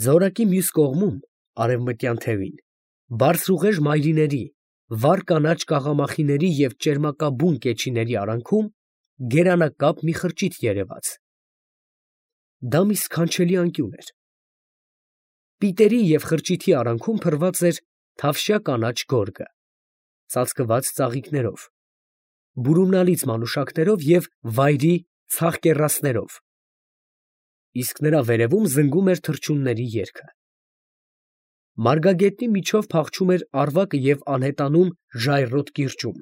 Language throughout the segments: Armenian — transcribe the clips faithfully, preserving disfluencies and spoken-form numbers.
Ձորակի մյուս կողմում, արևմտյան թևին, բարձրուղեշ մայրիների, վառ կանաչ կաղամախիների և ճերմակաբուն կեչիների արանքում գերանակապ մի խրճիթ երևաց. դա մի սքանչելի անկյուն էր. պիտերի և խրճիթի արանքում փռված էր թավշյա կանաչ գորգը, ծածկված ծաղիկներով, բուրումնալից մանուշակներով և վայրի ցախ կեռասներով, իսկ նրա վերևում զնգում էր թռչունների երգը. մարգագետնի միջով փախչում էր ավագը և անհետանում ժայռոտ կիրճում,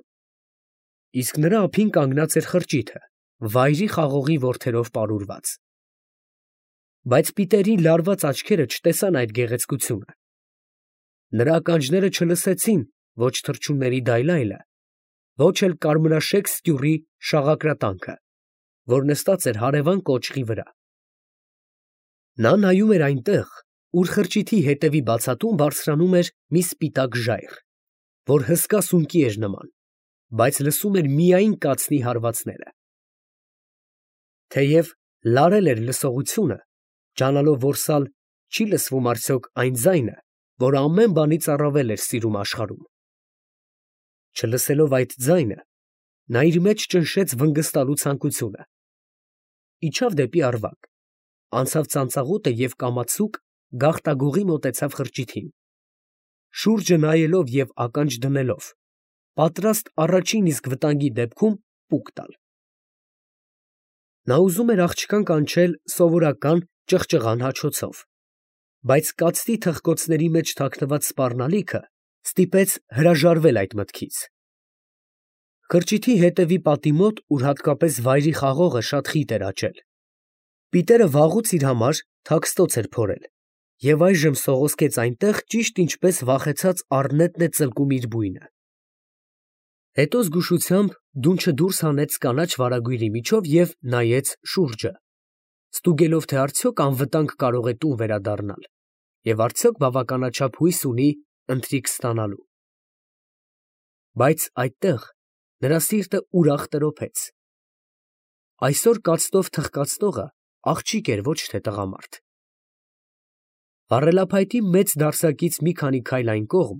իսկ նրա ափին կանգնած էր խրճիթը, վայրի խաղողի որդերով պարուրված. բայց պիտերի լարված աչքերը չտեսան այդ գեղեցկությունը, նրա ականջները չլսեցին ոչ թռչունների դայլայլը, ոչ էլ կարմրաշեք ստյուռի շաղակրատանքը, որ նստած էր հարևան կոճղի վրա. նա նայում էր այնտեղ, ուր խրճիթի ետևի բացատում բարձրանում էր մի սպիտակ ժայռ, որ հսկա սունկի էր նման, բայց լսում էր միայն կացնի հարվածները. թեև լարել էր լսողությունը, ջանալով, որ սալ չի լսվում արդյոք այն ձայնը, որ ամեն բանից առավել էր սիրում աշխարհում. չլսելով այդ ձայնը, նա իր մեջ ճնշեց վնգստալու ցանկությունը, իջավ դեպի Արվակ, անցավ ծանծաղուտը և կամացուկ գաղտագողի մոտեցավ խրճիթին, շուրջը նայելով և ականջ դնելով, պատրաստ առաջին իսկ վտանգի դեպքում պուկ տալ. նա ուզում էր աղջկան կանչել սովորական ճղճղան հաչոցով, բայց կացտի թխկոցների մեջ թաքնված սպառնալիքը ստիպեց հրաժարվել այդ մտքից. խրճիթի հետևի պատի մոտ, ուր հատկապես վայրի խաղողը շատ խիտ էր աճել, պիտերը վաղուց իր համար թաքստոց էր փորել և այժմ սողոսկեց այնտեղ, ճիշտ ինչպես վախեցած առնետն է ծլկում իր բույնը. հետո զգուշությամբ դունչը դուրս հանեց կանաչ վարագույրի միջով և նայեց շուրջը, ստուգելով, թե արդյոք անվտանգ կարող է տուն վերադառնալ և արդյոք բավականաչափ հույս ունի ընթրիք ստանալու. բայց այդտեղ նրա սիրտը ուրախ տրոփեց. այսօր կացտով թխկացնողը աղջիկ էր, ոչ թե տղամարդ. վառելափայտի մեծ դարսակից մի քանի քայլ այն կողմ,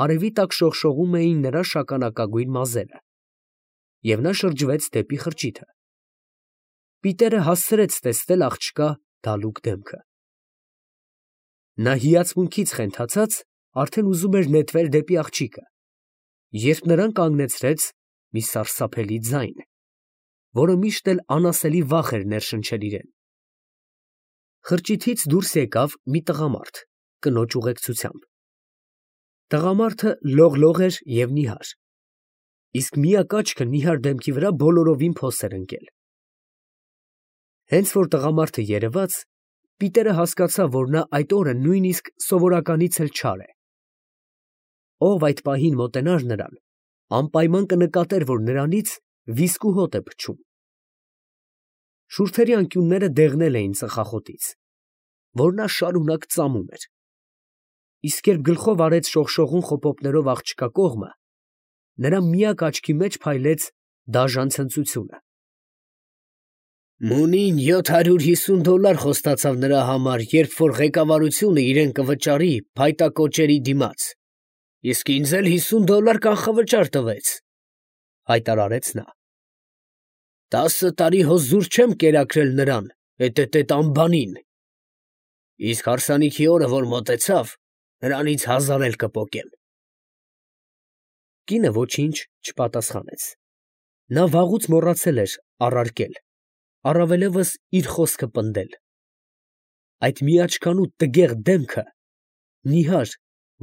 արևի տակ շողշողում էին նրա շագանակագույն մազերը, և նա շրջվեց դեպի խրճիթը. պիտերը հասցրեց տեսնել աղջկա դալուկ դեմքը. նա հիացմունքից խենթացած, արդեն ուզում էր նետվել դեպի աղջիկը, երբ նրան կանգնեցրեց մի սարսափելի ձայն, որը միշտ էլ անասելի վախ էր ներշնչել իրան. խրճիթից դուրս եկավ մի տղամարդ, կնոջ ուղեկցությամբ. տղամարդը լողլող էր և նիհար, իսկ միակ աչքը նիհար դեմքի վրա բոլորովին փոս էր ընկել. հենց որ տղամարդը երևաց, պիտերը հասկացավ, որ նա այդ օրը նույնիսկ սովորականից էլ չար է. ով այդ պահին մոտենար նրան, անպայման կնկատեր, որ նրանից վիսկու հոտ է փչում. շուրթերի անկյունները դեղնել էին ծխախոտից, որ նա շարունակ ծամում էր, իսկ երբ գլխով արեց շողշողուն խոպոպներով աղջկա կողմը, նրա միակ աչքի մեջ փայլեց դաժան ցնծությունը. Մունին յոթ հարյուր հիսուն դոլար խոստացավ նրա համար, երբ որ ղեկավարությունը իրեն կվճարի փայտակոճերի դիմաց, իսկ ինձ էլ հիսուն դոլար կանխավճար տվեց, հայտարարեց նա. տասը տարի հո զուր չեմ կերակրել նրան, էտետետ անբանին, իսկ հարսանիքի օրը, որ մոտեցավ, նրանից հազար էլ կպոկեմ։ Կինը ոչինչ չպատասխանեց. նա վաղուց մոռացել էր առարկել, առավելևս իր խոսքը պնդել. այդ միաչքանու տգեղ դեմքը, նիհար,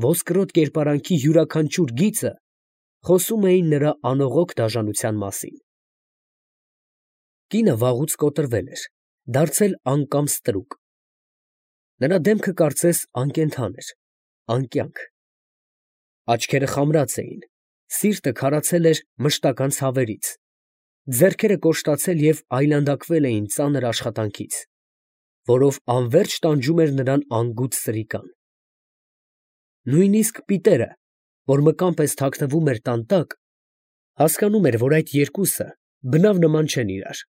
ոսկրոտ կերպարանքի յուրաքանչյուր գիծը խոսում էին նրա անողոք դաժանության մասին։ Կինը վաղուց կոտրվել էր, դարձել անկամ ստրուկ. նրա դեմքը կարծես անկենդան էր, անկյանք. աչքերը խամրած էին, սիրտը քարացել էր մշտական ցավերից, ձեռքերը կոշտացել և այլանդակվել էին ծանր աշխատանքից, որով անվերջ տանջում էր նրան անգութ սրիկան։ Նույնիսկ պիտերը, որ մկան պես թաքնվում էր տան տակ, հասկանում էր, որ այդ երկուսը բնավ նման չեն իրար։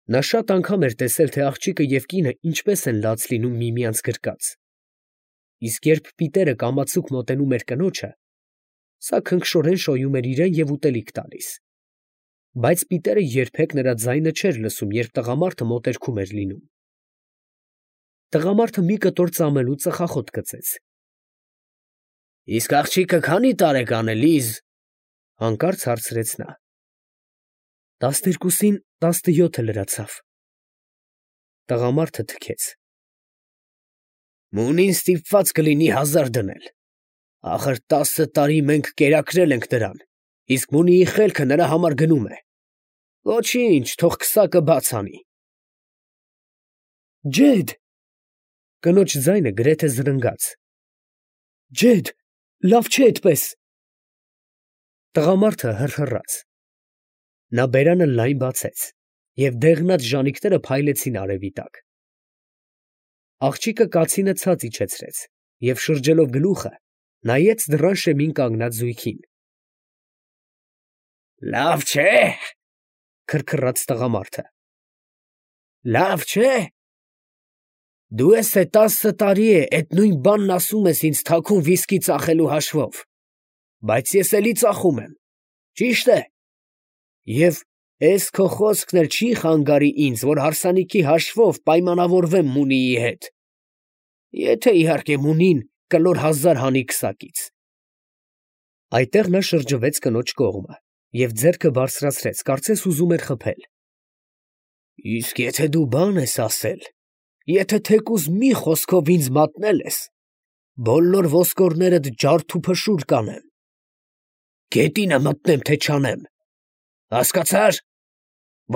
Նա շատ անգամ էր տեսել, թե աղջիկը և կինը ինչպես են լաց լինում միմյանց գրկած, իսկ երբ Պիտերը կամացուկ մոտենում էր կնոջը, սա քնքշորեն շոյում էր իրան և ուտելիք տալիս, բայց Պիտերը երբեք նրա ձայնը չէր լսում, երբ տղամարդը մոտերքում էր լինում։ Տղամարդը մի կտոր ծամելու ծխախոտ գծեց։ ֊ Իսկ աղջիկը քանի՞ տարեկան է, Լիզ, ֊ հանկարծ հարցրեց նա։ ֊ Տասներկուսին տասնյոթը լրացավ։ Տղամարդը թքեց։ ֊ Մունին ստիպված կլինի հազար դնել, ախր տասը տարի մենք կերակրել ենք նրան, իսկ Մունիի խելքը նրա համար գնում է։ Ոչինչ, թող քսակը բաց անի։ ֊ Ջեդ… Կնոջ ձայնը գրեթե զրնգաց։ ֊ Ջեդ… լավ չէ էդպես… Տղամարդը հռհռաց։ Նա բերանը լայն բացեց, և դեղնած ժանիքները փայլեցին արևի տակ։ Աղջիկը կացինը ցած իջեցրեց և, շրջելով գլուխը, նայեց դռան շեմին կանգնած զույգին։ ֊ Լավ չէ՞, քրքռաց տղամարդը։ ֊ Լավ չէ՞… Դու ես թե տասը տարի է էդ նույն բանն ասում ես ինձ թաքուն վիսկի ծախելու հաշվով, բայց ես էլի ծախում եմ, ճի՞շտ է… և էս քո խոսքն էլ չի խանգարի ինձ, որ հարսանիքի հաշվով պայմանավորվեմ Մունիի հետ… եթե, իհարկե, Մունին կլոր հազար հանի քսակից… Այդտեղ նա շրջվեց կնոջ կողմը և ձեռքը բարձրացրեց, կարծես ուզում էր խփել։ ֊ Իսկ եթե դու բան ես ասել, եթե թեկուզ մի խոսքով ինձ մատնել ես, բոլոր ոսկորներդ ջարդ ու փշուր կանեմ… գետինը մտնեմ, թե չանեմ… հասկացա՞ր…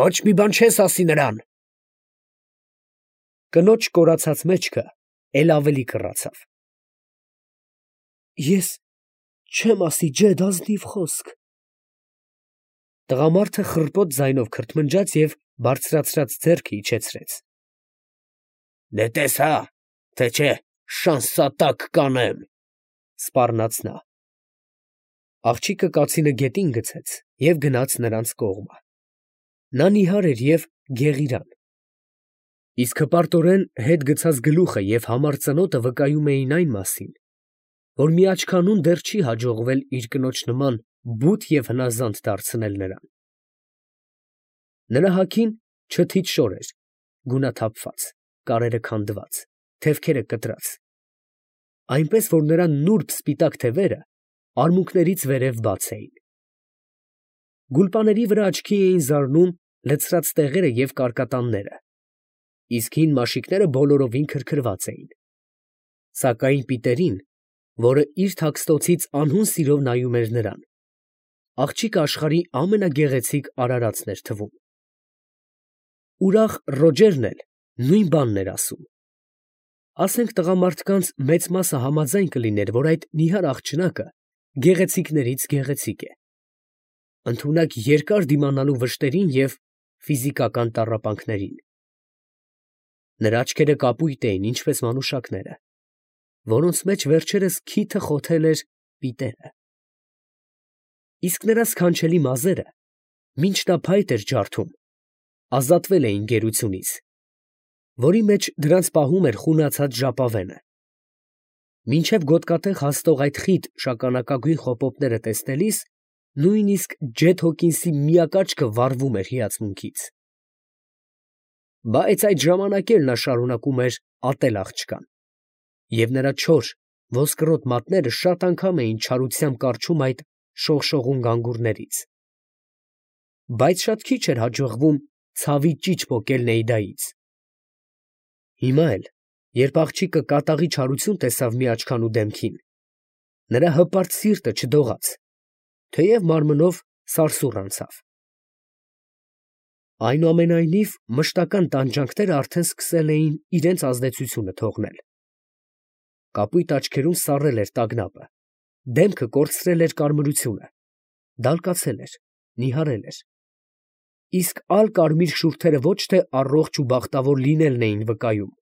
ոչ մի բան չես ասի նրան… Կնոջ կորացած մեջքը էլ ավելի կռացավ։ ֊ Ես չեմ ասի, ջեդ, ազնիվ խոսք… Տղամարդը խռպոտ ձայնով քրթմնջաց և բարձրացրած ձեռքը իջեցրեց։ ֊ Դե տես հա, թե չէ շանսատակ կանեմ, ֊ սպառնաց նա։ Աղջիկը կացինը գետին գցեց և գնաց նրանց կողմը։ Նա նիհար էր և գեղիրան, իսկ հպարտորեն հետ գցած գլուխը և համառ ծնոտը վկայում էին այն մասին, որ մի աչքանուն դեռ չի հաջողվել իր կնոջ նման բութ և հնազանդ դարձնել նրան։ Նրա հագին չթիթ շոր էր, գունաթափված, կարերը քանդված, թևքերը կտրած, այնպես որ նրա նուրբ սպիտակ թևերը արմունկներից վերև բաց էին։ Գուլպաների վրա աչքի էին զարնում լցրած տեղերը և կարկատանները, իսկ հին մաշիկները բոլորովին քրքրված էին, սակայն Պիտերին, որը իր թաքստոցից անհուն սիրով նայում էր նրան, աղջիկը աշխարհի ամենագեղեցիկ արարածն էր թվում։ Ուրախ Ռոջերն էլ նույն բանն էր ասում։ Ասենք տղամարդկանց մեծ մասը համաձայն կլիներ, որ այդ նիհար աղջնակը գեղեցիկներից գեղեցիկ է, ընդունակ երկար դիմանալու վշտերին և ֆիզիկական տառապանքներին։ Նրա աչքերը կապույտ էին, ինչպես մանուշակները, որոնց մեջ վերջերս քիթը խոթել էր Պիտերը, իսկ նրա սքանչելի մազերը, մինչ նա փայտ էր ջարդում, ազատվել էին գերությունից, որի մեջ դրանց պահում էր խունացած ժապավենը։ Մինչև գոտկատեղ հասնող այդ խիտ շագանակագույն խոպոպները տեսնելիս նույնիսկ ջեդ Հոքինսի միակ աչքը վառվում էր հիացմունքից։ Բայց այդ ժամանակ էլ նա շարունակում էր ատել աղջկան, և նրա չոր ոսկրոտ մատները շատ անգամ էին չարությամբ կառչում այդ շողշողուն գանգուրներից, բայց շատ քիչ էր հաջողվում ցավի ճիչ պոկել Նեյդայից։ Հիմա էլ, երբ աղջիկը կատաղի չարություն տեսավ մի աչքանու դեմքին, նրա հպարտ սիրտը չդողաց, թեև մարմնով սարսուռ անցավ։ Այնուամենայնիվ մշտական տանջանքները արդեն սկսել էին իրանց ազդեցությունը թողնել. կապույտ աչքերում սառել էր տագնապը, դեմքը կորցրել էր կարմրությունը, դալկացել էր, նիհարել էր, իսկ ալ֊կարմիր շուրթերը ոչ թե առողջ ու բախտավոր լինելն էին վկայում,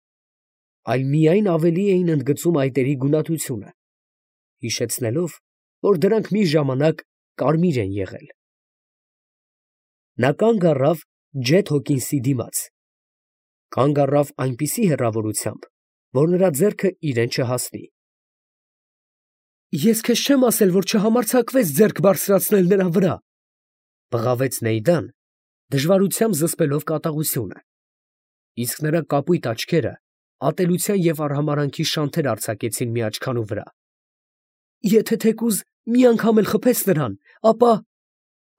այլ միայն ավելի էին ընդգծում այտերի գունատությունը, հիշեցնելով, որ դրանք մի ժամանակ կարմիր են եղել։ Նա կանգ առավ Ջեթ Հոքինսի դիմաց, կանգ առավ այնպիսի հեռավորությամբ, որ նրա ձեռքը իրեն չհասնի։ Ես քեզ չեմ ասել, որ չհամարձակվես ձեռք բարձրացնել նրա վրա, բղավեց Նեյդան, դժվարությամբ զսպելով կատաղությունը, իսկ նրա կապույտ աչքերը ատելության և արհամարհանքի շանթեր արձակեցին մի աչքանու վրա։ Եթե թեկուզ մի անգամ էլ խփես նրան, ապա…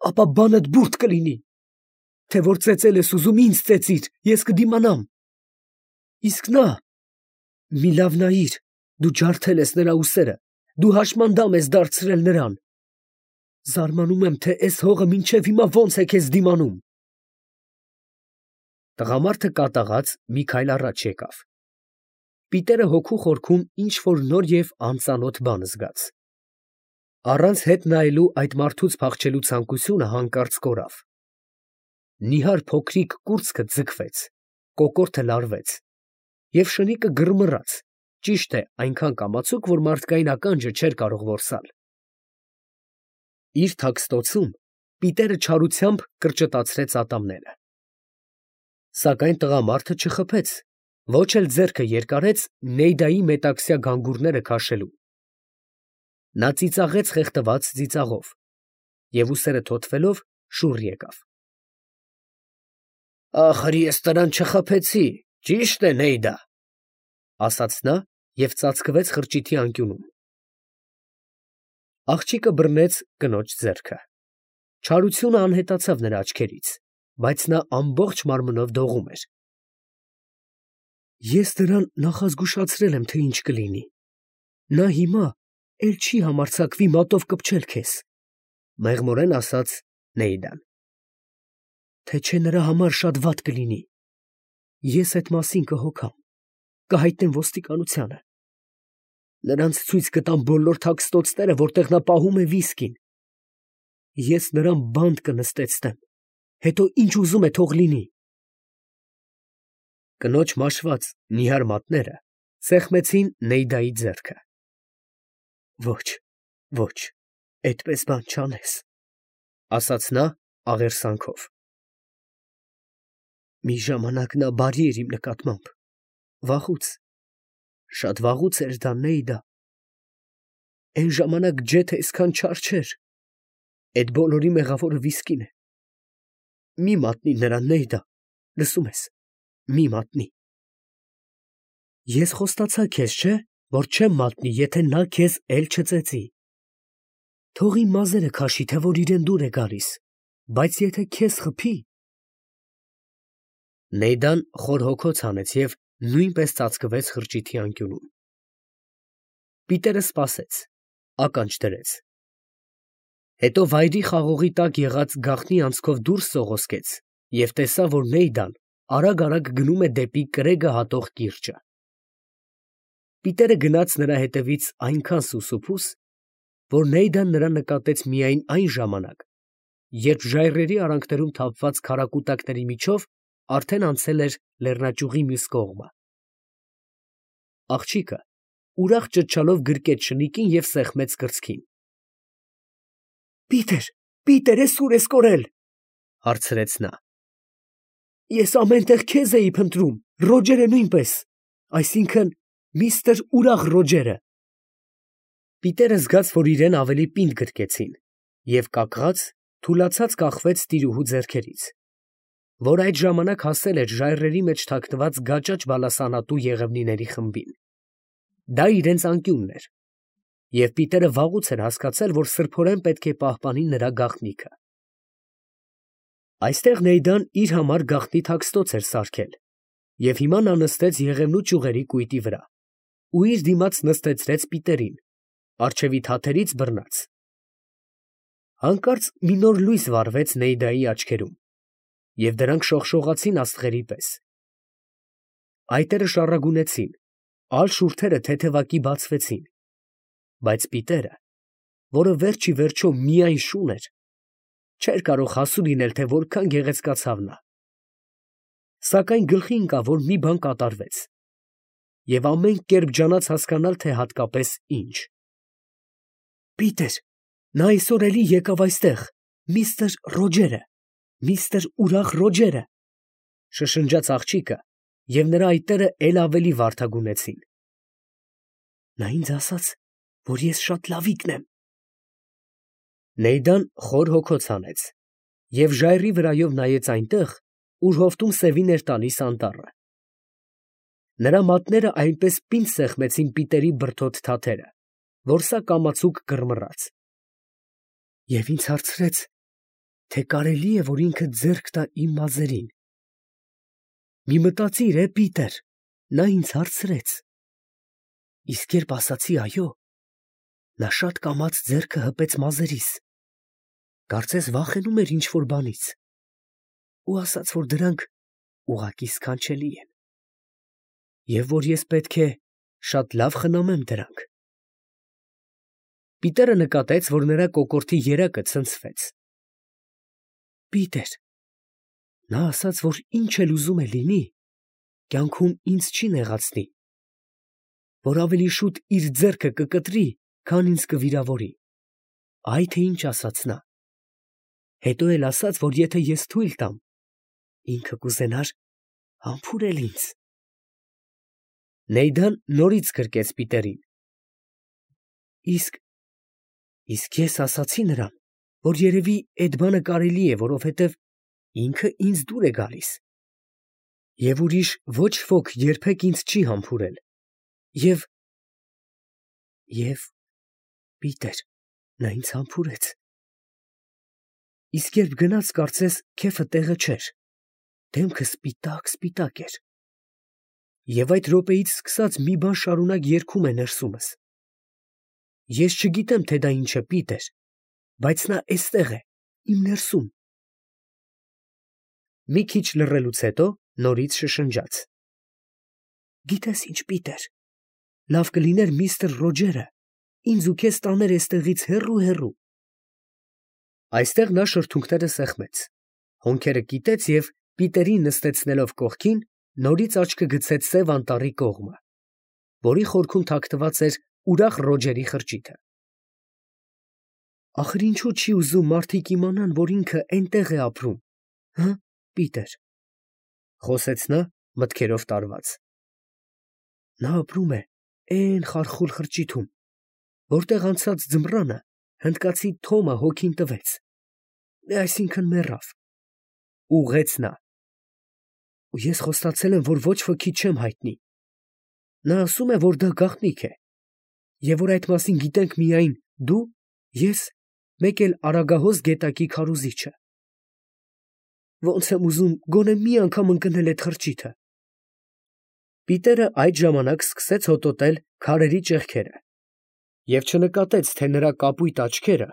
ապա բանդ բուրդ կլինի, թե որ ծեծել ես ուզում ինձ ծեծիր, ես կդիմանամ։ Իսկ նա… մի լավ նայիր, դու ջարդել ես նրա ուսերը, դու հաշմանդամ ես դարձրել նրան… Զարմանում եմ, թե էս հողը մինչև հիմա ոնց է քեզ դիմանում։ Տղամարդը կատաղած մի քայլ առաջ եկավ։ Պիտերը հոգու խորքում ինչ֊որ նոր և անծանոթ բան զգաց։ Առանց հետ նայելու այդ մարդուց փախչելու ցանկությունը հանկարծ կորավ։ Նիհար փոքրիկ կուրծքը ձգվեց, կոկորդը լարվեց, և շնիկը գրմռաց, ճիշտ է, այնքան կամացուկ, որ մարդկային ականջը չէր կարող որսալ։ Իր թաքստոցում Պիտերը չարությամբ կրճտացրեց ատամները։ Սակայն տղամարդը չխփեց, ոչ էլ ձեռքը երկարեց Նեյդայի մետաքսյա գանգուրները քաշելու։ Նա ծիծաղեց խեղդված ծիծաղով և ուսերը թոթվելով շուռ եկավ։ Ախր ես նրան չխփեցի, ճիշտ է, Նեյդա, ասաց նա և ծածկվեց խրճիթի անկյունում։ Աղջիկը բռնեց կնոջ ձեռքը։ Չարությունը անհետացավ նրա աչքերից, բայց նա ամբողջ մարմնով դողում էր։ Ես նրան նախազգուշացրել եմ, թե ինչ կլինի։ Նա հիմա էլ չի համարձակվի մատով կպչել քեզ, մեղմորեն ասաց Նեյդան։ Թե չէ նրա համար շատ վատ կլինի։ Ես էդ մասին կհոգամ, կհայտնեմ ոստիկանությանը։ Նրանց ցույց կտամ բոլոր թաքստոցները, որտեղ նա պահում է վիսկին։ Ես նրան բանտ կնստեցնեմ, հետո ինչ ուզում է թող լինի։ Կնոջ մաշված նիհար մատները սեղմեցին Նեյդայի ձեռքը։ Ոչ, ոչ, այդպես բան չանես, ասաց նա աղերսանքով։ Մի ժամանակ նա բարի էր իմ նկատմամբ, վաղուց, շատ վաղուց էր դա, Նեյդա։ Էն ժամանակ ջեթը այսքան չար չէր, էդ բոլորի մեղավորը վիսկին է։ Մի մատնի նրան, Նեյդա, լսում ես, մի մատնի։ Ես խոստացա քեզ, չէ՞, որ չեմ մատնի, եթե նա քեզ էլ չծեծի։ Թող իմ մազերը քաշի, թե որ իրեն դուր է գալիս, բայց եթե քեզ խփի… Նեյդան խոր հոգոց հանեց և նույնպես ծածկվեց խրճիթի անկյունում։ Պիտերը սպասեց, ականջ դրեց։ Հետո վայրի խաղողի տակ եղած գաղտնի անցքով դուրս սողոսկեց և տեսավ, որ Նեյդան արագ֊արագ գնում է դեպի կրեգը հատող կիրճը։ Պիտերը գնաց նրա հետևից այնքան սուսուփուս, որ Նեյդան նրան նկատեց միայն այն ժամանակ, երբ ժայռերի արանքներում թափված քարակուտակների միջով արդեն անցել էր լեռնաճյուղի մյուս կողմը։ Աղջիկը ուրախ ճչալով գրկեց շնիկին և սեղմեց կրծքին։ Պիտեր, Պիտեր, էս ուր ես կորել, հարցրեց նա։ Ես ամեն տեղ քեզ էի փնտրում, Ռոջերը նույնպես, այսինքն՝ միստր Ուրախ Ռոջերը։ Պիտերը զգաց, որ իրեն ավելի պինդ գրկեցին, և կակղած, թուլացած կախվեց տիրուհու ձեռքերից, որ այդ ժամանակ հասել էր ժայռերի մեջ թաքնված գաճաճ բալասանատու եղևնիների խմբին։ Դա իրենց անկյունն էր, և Պիտերը վաղուց էր հասկացել, որ սրբորեն պետք է պահպանի նրա գաղտնիքը։ Այստեղ Նեյդան իր համար գաղտնի թաքստոց էր սարքել, և հիմա նա նստեց եղևնու ճյուղերի կույտի վրա ու իր դիմաց նստեցրեց Պիտերին, առջևի թաթերից բռնած։ Հանկարծ մի նոր լույս վառվեց Նեյդայի աչքերում, և դրանք շողշողացին աստղերի պես։ Այտերը շառագունեցին, ալ շուրթերը թեթևակի բացվեցին, բայց Պիտերը, որը վերջ ի վերջո միայն շուն էր, չէր կարող հասու լինել, թե որքան գեղեցկացավ նա։ Սակայն գլխի ընկավ, որ մի բան կատարվեց, և ամեն կերպ ջանաց հասկանալ, թե հատկապես ինչ։ Պիտեր, նա այսօր էլի եկավ այստեղ, միստր Ռոջերը, Միստր ուրախ Ռոջերը, շշնջաց աղջիկը, և նրա այտերը էլ ավելի վարդագունեցին։ Նա ինձ ասաց, որ ես շատ լավիկն եմ։ Նեյդան խոր հոգոց հանեց և ժայռի վրայով նայեց այնտեղ, ուր հովտում սևին էր տալիս անտառը։ Նրա մատները այնպես պինդ սեղմեցին Պիտերի բրդոտ թաթերը, որ սա կամացուկ կռմռաց։ Եվ ինձ հարցրեց, թե կարելի է, որ ինքը ձեռք տա իմ մազերին։ Մի մտածիր, է, Պիտեր, նա ինձ հարցրեց։ Իսկ երբ ասացի այո, նա շատ կամաց ձեռքը հպեց մազերիս, կարծես վախենում էր ինչ֊որ բանից, ու ասաց, որ դրանք ուղղակի սքանչելի են, և որ ես պետք է շատ լավ խնամեմ դրանք։ Պիտերը նկատեց, որ նրա կոկորդի երակը ցնցվեց։ Պիտեր, նա ասաց, որ ինչ էլ ուզում է լինի, կյանքում ինձ չի նեղացնի, որ ավելի շուտ իր ձեռքը կկտրի, քան ինձ կվիրավորի։ Այ թե ինչ ասաց նա։ Հետո էլ ասաց, որ եթե ես թույլ տամ, ինքը կուզենար համբուրել ինձ։ Նեյդան նորից գրկեց Պիտերին։ Իսկ, իսկ ես ասացի նրան, որ երևի էդ բանը կարելի է, որովհետև ինքը ինձ դուր է գալիս, և ուրիշ ոչ ոք երբեք ինձ չի համբուրել, և… և… Պիտեր, նա ինձ համբուրեց։ Իսկ երբ գնաց, կարծես քեֆը տեղը չէր, դեմքը սպիտակ֊սպիտակ էր, և այդ րոպեից սկսած մի բան շարունակ երգում է ներսումս։ Ես չգիտեմ, թե դա ինչ է, Պիտեր, բայց նա էստեղ է, իմ ներսում։ Մի քիչ լռելուց հետո նորից շշնջաց. Գիտես ինչ, Պիտեր, լավ կլիներ միստր Ռոջերը ինձ ու քեզ տաներ էստեղից հեռու֊հեռու։ Այստեղ նա շրթունքները սեղմեց, հոնքերը կիտեց և, Պիտերին նստեցնելով կողքին, նորից աչքը գցեց սև անտառի կողմը, որի խորքում թաքնված էր ուրախ Ռոջերի խրճիթը։ Ախր ինչո՞ւ չի ուզում մարդիկ իմանան, որ ինքը էնտեղ է ապրում, հը՞, Պիտեր, խոսեց նա մտքերով տարված։ Նա ապրում է էն խարխուլ խրճիթում, որտեղ անցած ձմռանը հնդկացի Թոմը հոգին տվեց, այսինքն մեռավ, ուղղեց նա։ Ու ես խոստացել եմ, որ ոչ ոքի չեմ հայտնի։ Նա ասում է, որ դա գաղտնիք է, և որ այդ մասին գիտենք միայն դու, ես, մեկ էլ Արագահոս գետակի քարոզիչը։ Ոնց եմ ուզում գոնե մի անգամ ընկնել էդ խրճիթը։ Պիտերը այդ ժամանակ սկսեց հոտոտել քարերի ճեղքերը և չնկատեց, թե նրա կապույտ աչքերը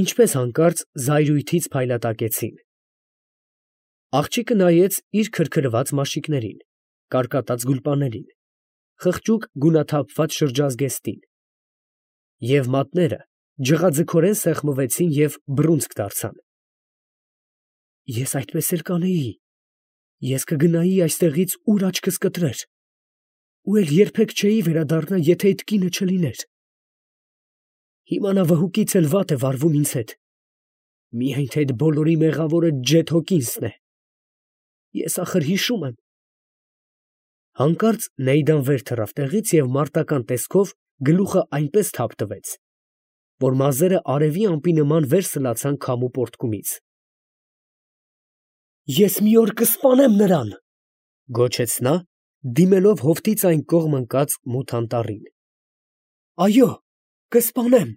ինչպես հանկարծ զայրույթից փայլատակեցին։ Աղջիկը նայեց իր քրքրված մաշիկներին, կարկատած գուլպաներին, խղճուկ գունաթափված շրջազգեստին, և մատները ջղաձգորեն սեղմվեցին և բռունցք դարձան։ Ես այդպես էլ կանեի, ես կգնայի այստեղից, ուր աչքս կտրեր, ու էլ երբեք չէի վերադառնա, եթե այդ կինը չլիներ։ Հիմա նա վհուկից էլ վատ է վարվում ինձ հետ, միայն թե այդ բոլորի մեղավորը Ջեթ Հոքինսն է։ Ես ախր հիշում եմ… Հանկարծ Նեյդան վեր թռավ տեղից և մարտական տեսքով գլուխը այնպես թափ տվեց, որ մազերը արևի ամպի նման վեր սլացան քամու պոռթկումից։ Ես մի օր կսպանեմ նրան, գոչեց նա, դիմելով հովտից այն կողմ ընկած մութ անտառին։ Այո, կսպանեմ։